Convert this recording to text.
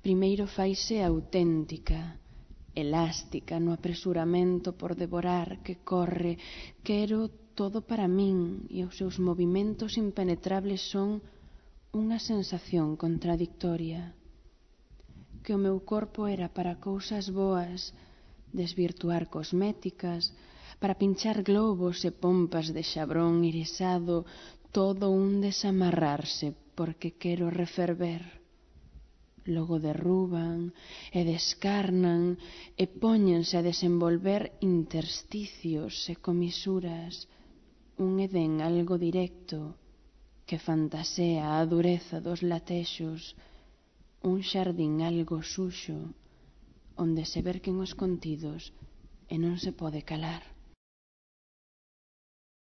Primeiro faise auténtica, elástica no apresuramento por devorar que corre. Quero todo para min e os seus movimentos impenetrables son unha sensación contradictoria. Que o meu corpo era para cousas boas, desvirtuar cosméticas, para pinchar globos e pompas de xabrón irisado, todo un desamarrarse porque quero referver. Logo derruban e descarnan e póñense a desenvolver intersticios e comisuras, un edén algo directo que fantasea a dureza dos latexos, un xardín algo suxo onde se verquen os contidos e non se pode calar.